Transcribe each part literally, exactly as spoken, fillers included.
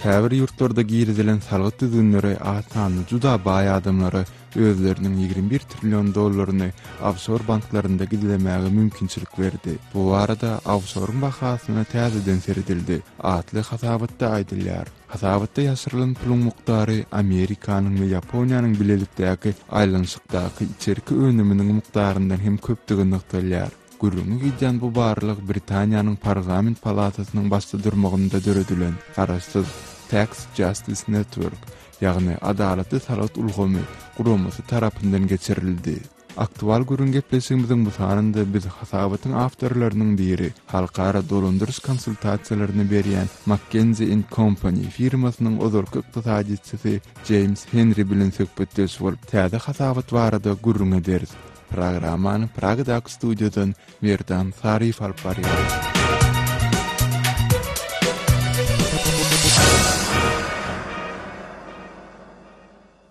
Käbir ýurtlarda girizilen salgyt düzgünleri az sanly juda baý adamlara özleriniň ýigrimi bir trillion dollaryny ofşor banklarynda gizlemäge mümkinçilik berdi. Bu barada Ofşoryň bahasyna täzeden seredildi atly hasabatda aýdylýar. Hasabatda ýaşyrylan puluň mukdary Amerikanyň we Ýaponiýanyň bilelikdäki aýlanyşykdaky içerki önüminiň mukdaryndan hem köpdügi nygtalýar. Gürrüňi gidýän bu barlag Britaniýanyň Parlament palatasynyň başda durmagynda döredilen garaşsyz Tax Justice Network, ýagny Adalatly salgyt ulgamy guramasy tarapyndan geçirildi. Aktual gürrüň gepleşigimiziň bu sanynda biz hasabatyň awtorlarynyň biri, halkara dolandyryş konsultasiýalaryny berýän McKinsey and Company firmasynyň ozalky ykdysadyýetçisi Jeýms Henri bilen söhbetdeş bolup, täze hasabat barada gürrüň ederis. Programmany Pragadaky studiýadan Merdan Saryýew alyp barýar.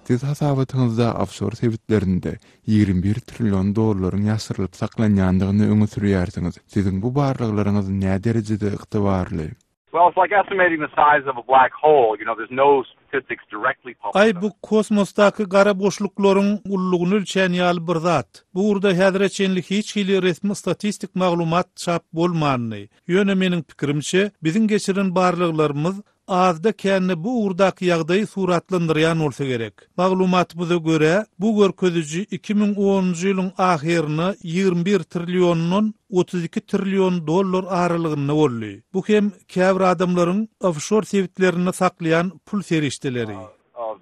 Siz hasabatyňyzda ofşor sebitlerinde ýigrimi bir trillion dollaryň ýaşyrylyp saklanýandygyny öňe sürýärsiňiz. Siziň bu barlaglaryňyz nä derejede ygtybarly? Well, it's like estimating the size of a black hole. You know, there's no statistics directly published. Aý, bu kosmosdaky gara boşluklaryň ululygyny ölçän ýaly bir zat. Bu ugurda häzire çenli hiç hili resmi statistik maglumat çap bolmandy. Ýöne meniň pikirimçe, biziň geçiren barlaglarymyz azda kände bu ugurdaky ýagdaýy suratlandyrýan bolsa gerek. Maglumatymyza görä, bu görkeziji iki müň onunjy ýylyň ahyryna ýigrimi bir trilliondan otuz iki trillion dollar aralygynda boldy. Bu hem käbir adamlaryň ofşor sebitlerinde saklaýan pul serişdeleri. Of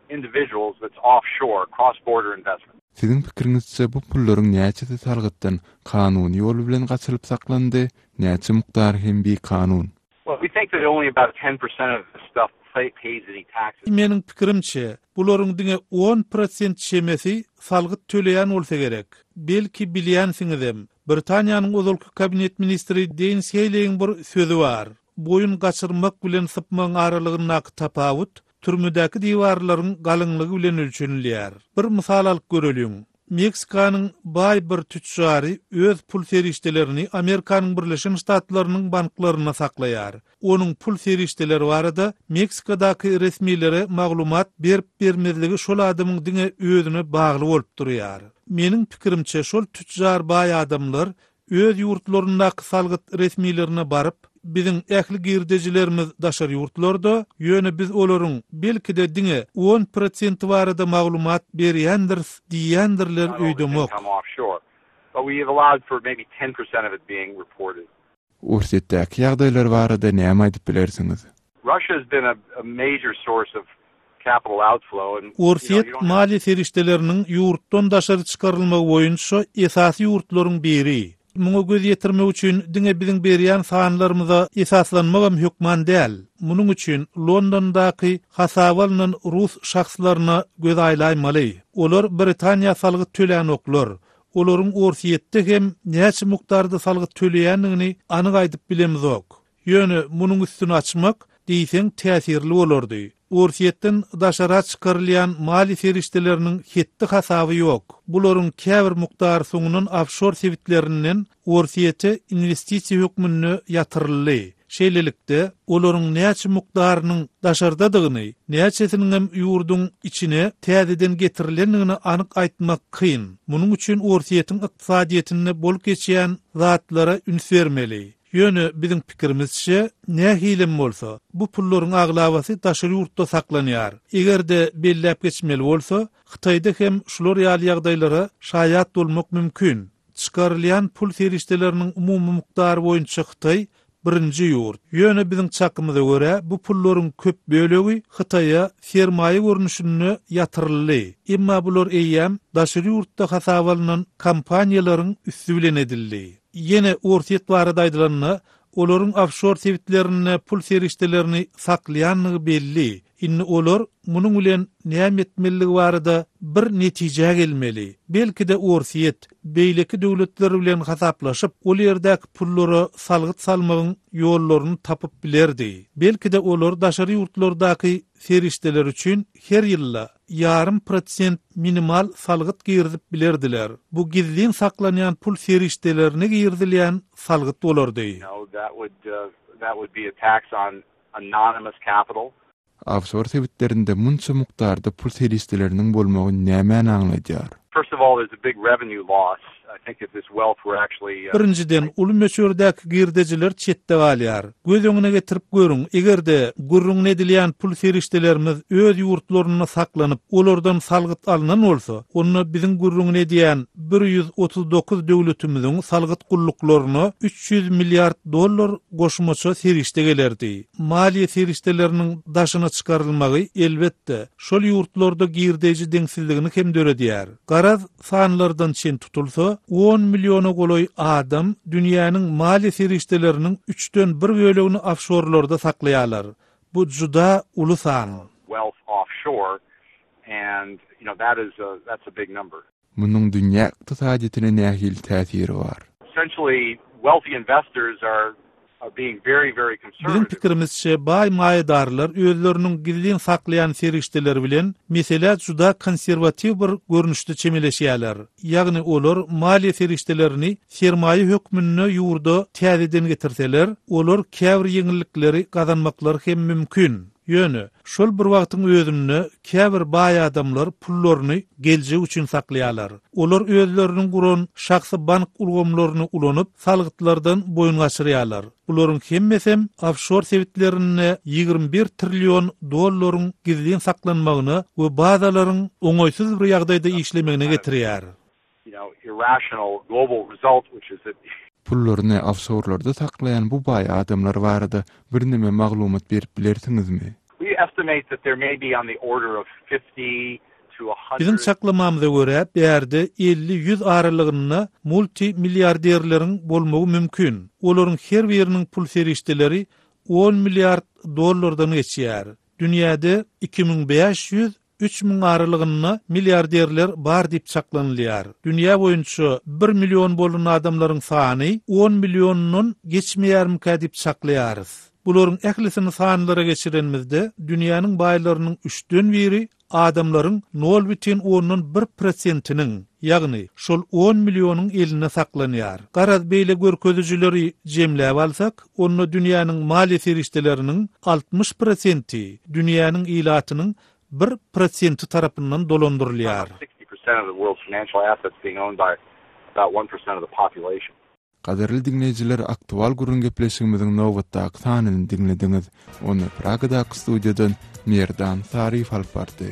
individuals that's offshore, cross-border investment. Siziň pikiriňizçe bu pullaryň näçesi salgytdan kanuny ýol bilen gaçyrylyp saklandy, näçe mukdary hem bikanun? Well, we think that only about ten percent of the stuff pays any taxes. Meniň pikirimçe, bularyň diňe on prosent çemesi salgyt töleýän bolsa gerek. Belki bilýänsiňizem, Britaniýanyň ozalky kabinet ministri Denis Heýleýiň bir sözi bar. Boýun gaçyrmak bilen sypmagyň aralygyndaky tapawut türmedäki diwarlaryň galyňlygy bilen ölçenilýär. Bir mysal alyp göreliň. Meksikanyň baý bir tüçjary öz pul serişdelerini Amerikanyň Birleşen Ştatlarynyň banklarynda saklaýar. Onuň pul serişdeleri barada Meksikadaky resmilere maglumat berip bermezligi şol adamyň diňe özüne bagly bolup durýar. Meniň pikirimçe, şol tüçjar baý adamlar öz ýurtlaryndaky salgyt resmilerine baryp, biziň ähli girdejilerimiz daşary ýurtlarda, ýöne biz olaryň belki-de diňe on prosenti barada maglumat berýändiris diýýändirler öýdemok. Orsýetdäki ýagdaýlar barada näme aýdyp bilersiňiz? Russia has been a, a major source of capital outflow and, Orsýet maliýe serişdeleriniň ýurtdan daşary çykarylmagy boýunça esasy ýurtlaryň biri. Muňa göz ýetirmek üçin diňe biziň berýän sanlarymyza esaslanmagam hökman däl. Munuň üçin Londondaky hasaba alnan rus şahslaryna göz aýlaýmaly. Olar Britaniýa salgyt tölänoklar. Olaryň Orsýetde hem näçe mukdarda salgyt töleýändigini anyk aýdyp bilemzok. Ýöne munuň üstüni açmak diýseň täsirli bolardy. Orsýetden daşara çykarylýan maliýe serişdeleriniň hetdi hasaby ýok. Bularyň käbir mukdary soňundan ofşor sebitlerinden Orsýete investisiýa hökmünde ýatyryldy. Şeýlelikde, olaryň näçe mukdarynyň daşardadygyny, näçesiniň hem ýurduň içine täzeden getirilendigini anyk aýtmak kyn. Munuň üçin Orsýetiň ykdysadyýetinde bolup geçýän zatlara üns bermeli. Ýöne biziň pikirimizçe, nähilem bolsa, bu pullaryň aglabasy daşary ýurtda saklanýar. Eger-de belläp geçmeli bolsa, Hytaýda hem şular ýaly ýagdaýlara şaýat bolmak mümkin. Çykarylýan pul serişdeleriniň umumy mukdary boýunça Hytaý birinji ýurt. Ýöne biziň çakymyza görä, bu pullaryň köp bölegi Hytaýa sermaýa görnüşinde ýatyryldy. Emma bular eýýäm daşary ýurtda hasaba alnan kompaniýalaryň üsti bilen edildi. Ýene Orsýet barada aýdylanda, olaryň ofşor sebitlerinde pul serişdelerini saklaýandygy belli. Indi olar munuň bilen näme etmelidigi barada bir netijä gelmeli. Belki-de Orsýet beýleki döwletler bilen hasaplaşyp, ol ýerdäki pullara salgyt salmagyň ýollaryny tapyp bilerdi. Belki-de olar daşary ýurtlardaky serişdeler üçin her ýylda ýarym prosent minimal salgyt girizip bilerdiler. Bu gizlin saklanýan pul serişdelerine girizilýän salgyt bolardy. You know, that would, uh, that would be a tax on anonymous capital. Ofşor sebitlerinde munça mukdarda pul serişdeleriniň bolmagy nämäni aňladýar? First of all, there's a big revenue loss. I think if this wealth were actually uh, Birinjiden, uly möçberdäki girdejiler çetde galýar. Göz öňüne getirip görüň, eger-de gürrüňini edilýän pul serişdelerimiz öz ýurtlarynda saklanyp, olardan salgyt alnan bolsa, onda biziň gürrüňini edýän bir ýüz otuz dokuz döwletimiziň salgyt gulluklaryna üç ýüz milliard dollar goşmaça serişde gelerdi. Maliýe serişdeleriniň daşyna çykarylmagy elbetde şol ýurtlarda girdeji deňsizligini hem döredýär. Garaz sanlardan çen tutulsa, on milliona golaý adam dünýäniň maliýe serişdeleriniň üçden bir bölegini ofşorlarda saklaýarlar. Bu juda uly san. Wealth offshore, and you know that is a, that's a big number. Munuň dünýä ykdysadyýetine nähili täsiri bar? Essentially, wealthy investors are, are being very, very Biziň conservative. pikirimizçe, baý maýadarlar özleriniň gizlin saklaýan serişdeleri bilen meselä juda konserwatiw bir görnüşde çemeleşýärler. Ýagny olar maliýe serişdelerini sermaýa hökmünde ýurda täzeden getirseler, olar käbir ýeňillikleri gazanmaklary hem mümkin. Ýöne şol bir wagtyň özünde käbir baý adamlar pullaryny geljek üçin saklaýarlar. Olar özleriniň guran şahsy bank ulgamlaryny ulanyp, salgytlardan boýun gaçyrýarlar. Bularyň hemmesi ofşor sebitlerinde ýigrimi bir trillion dollaryň gizlin saklanmagyna we bazalaryň oňaýsyz bir ýagdaýda işlemegine getirýär. You know, irrational global result, which is that Pullaryny ofşorlarda saklaýan bu baý adamlar barada birneme maglumat berip bilersiňizmi? We estimate that there may be on the order of fifty to a hundred Biziň çaklamamyza görä, bärde elli-ýüz aralygynda multimilliarderleriň bolmagy mümkin. Olaryň her biriniň pul serişdeleri on milliard dollardan geçýär. Dünýäde iki müň bäş ýüz üç müň aralygynda milliarderler bar diýip çaklanylýar. Dünýä boýunça bir million bolan adamlaryň sany on milliondan geçmeýärmikä diýip çaklaýarys. Bularyň ählisini sanlara geçirenimizde dünýäniň baýlarynyň üçden biri adamlaryň nol bütin ondan bir prosentiniň, ýagny şol on millionyň elinde saklanýar. Garaz beýle görkezijileri jemläp alsak, onda dünýäniň maliýe serişdeleriniň altmyş prosenti dünýäniň ilatynyň bir prosenti tarapyndan dolandyrylýar. sixty percent of the world's financial assets being owned by about one percent of the population. Gadyrly dinleýjiler, aktual gürrüň gepleşigimiziň nobatdaky sanyny diňlediňiz. Ony Pragadaky studiýadan Merdan Saryýew alyp bardy.